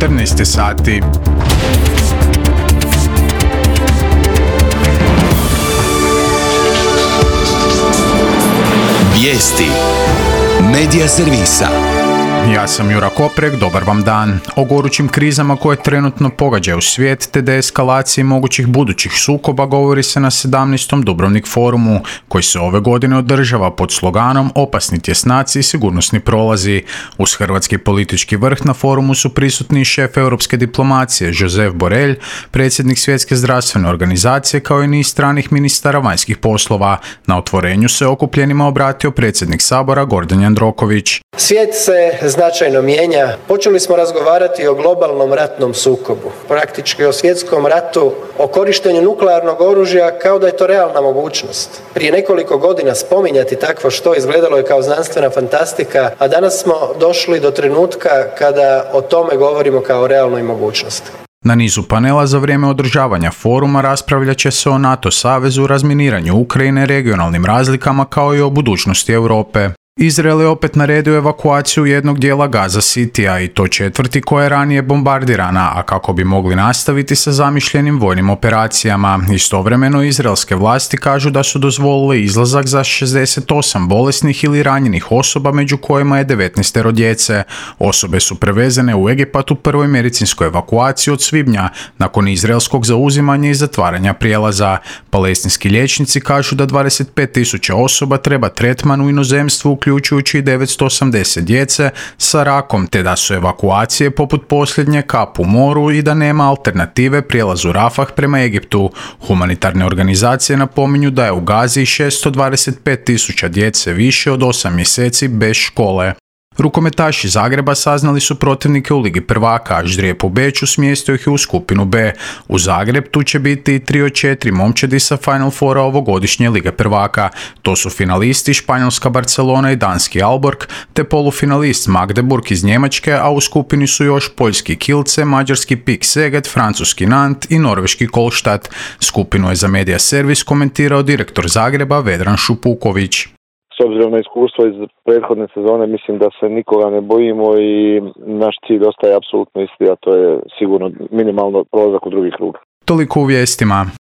14 sati. Vijesti Medija servisa. Ja sam Jura Koprek, dobar vam dan. O gorućim krizama koje trenutno pogađaju svijet te deeskalaciji mogućih budućih sukoba govori se na 17. Dubrovnik forumu, koji se ove godine održava pod sloganom Opasni tjesnaci i sigurnosni prolazi. Uz hrvatski politički vrh na forumu su prisutni šef europske diplomacije Josep Borrell, predsjednik Svjetske zdravstvene organizacije kao i niz stranih ministara vanjskih poslova. Na otvorenju se okupljenima obratio predsjednik Sabora Gordan Jandroković. Svijet se značajno mijenja. Počeli smo razgovarati o globalnom ratnom sukobu, praktički o svjetskom ratu, o korištenju nuklearnog oružja kao da je to realna mogućnost. Prije nekoliko godina spominjati takvo što izgledalo je kao znanstvena fantastika, a danas smo došli do trenutka kada o tome govorimo kao o realnoj mogućnosti. Na nizu panela za vrijeme održavanja foruma raspravljat će se o NATO savezu, razminiranju Ukrajine, regionalnim razlikama kao i o budućnosti Europe. Izrael je opet naredio evakuaciju jednog dijela Gaza Citya i to četvrti koja je ranije bombardirana, a kako bi mogli nastaviti sa zamišljenim vojnim operacijama. Istovremeno izraelske vlasti kažu da su dozvolili izlazak za 68 bolesnih ili ranjenih osoba, među kojima je 19 djece. Osobe su prevezene u Egipat u prvoj medicinskoj evakuaciji od svibnja, nakon izraelskog zauzimanja i zatvaranja prijelaza. Palestinski liječnici kažu da 25.000 osoba treba tretman u inozemstvu, uključujući i 980 djece sa rakom, te da su evakuacije poput posljednje kap u moru i da nema alternative prijelazu Rafah prema Egiptu. Humanitarne organizacije napominju da je u Gazi 625.000 djece više od 8 mjeseci bez škole. Rukometaši Zagreba saznali su protivnike u Ligi prvaka, a ždrijeb u Beču smjestio ih u skupinu B. U Zagreb tu će biti 3 od 4 momčadi sa Final Fora ovogodišnje Lige prvaka. To su finalisti španjolska Barcelona i danski Aalborg, te polufinalist Magdeburg iz Njemačke, a u skupini su još poljski Kielce, mađarski PIK Szeged, francuski Nantes i norveški Kolštad. Skupinu je za Medija servis komentirao direktor Zagreba Vedran Šupuković. S obzirom na iskustvo iz prethodne sezone, mislim da se nikoga ne bojimo i naš cilj ostaje apsolutno isti, a to je sigurno minimalno prolazak u drugi krug. Toliko u vijestima.